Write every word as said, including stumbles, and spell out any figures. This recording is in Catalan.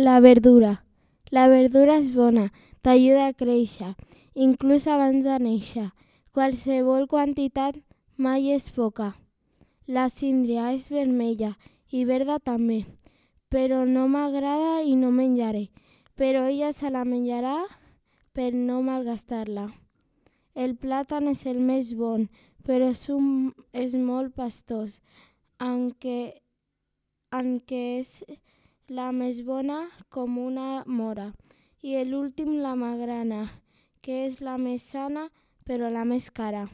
La verdura. La verdura és bona, t'ajuda a créixer, inclús abans de néixer. Qualsevol quantitat mai és poca. La síndria és vermella i verda també, però no m'agrada i no menjaré. Però ella se la menjarà per no malgastar-la. El plàtan és el més bon, però és, un, és molt pastós, aunque, aunque és la més bona com una mora. I l'últim, la magrana, que és la més sana, però la més cara.